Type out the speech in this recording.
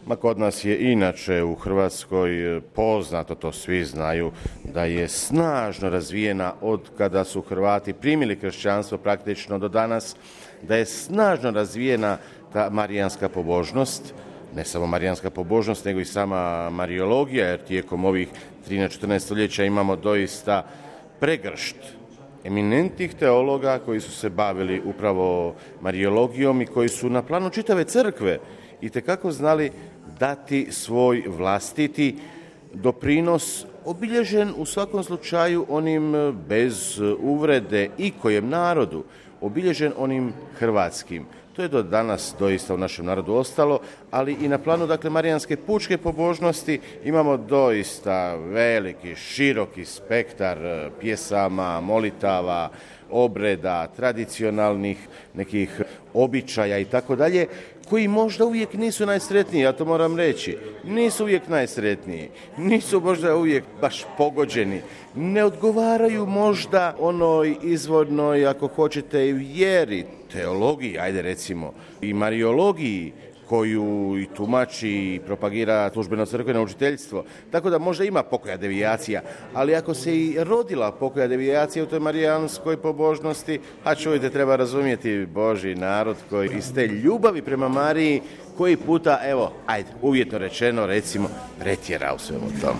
Ma kod nas je inače u Hrvatskoj poznato, to svi znaju, da je snažno razvijena od kada su Hrvati primili kršćanstvo praktično do danas, da je snažno razvijena ta marijanska pobožnost, ne samo marijanska pobožnost, nego i sama mariologija, jer tijekom ovih 13-14 stoljeća imamo doista pregršt eminentnih teologa koji su se bavili upravo mariologijom i koji su na planu čitave crkve itekako znali dati svoj vlastiti doprinos, obilježen u svakom slučaju onim bez uvrede i kojem narodu, obilježen onim hrvatskim. To je do danas doista u našem narodu ostalo, ali i na planu marijanske pučke pobožnosti imamo doista veliki, široki spektar pjesama, molitava, obreda, tradicionalnih nekih običaja i tako dalje, koji možda uvijek nisu najsretniji, ja to moram reći. Nisu uvijek najsretniji, nisu možda uvijek baš pogođeni, ne odgovaraju možda onoj izvornoj, ako hoćete, vjeri, teologiji, ajde recimo, i mariologiji, koju i tumači i propagira službeno crkveno učiteljstvo. Tako da možda ima pokoja devijacija, ali ako se i rodila pokoja devijacija u toj marijanskoj pobožnosti, a čujte, treba razumjeti Božji narod koji iz te ljubavi prema Mariji koji puta, evo, ajde, uvjetno rečeno, recimo, pretjera u svemu tomu.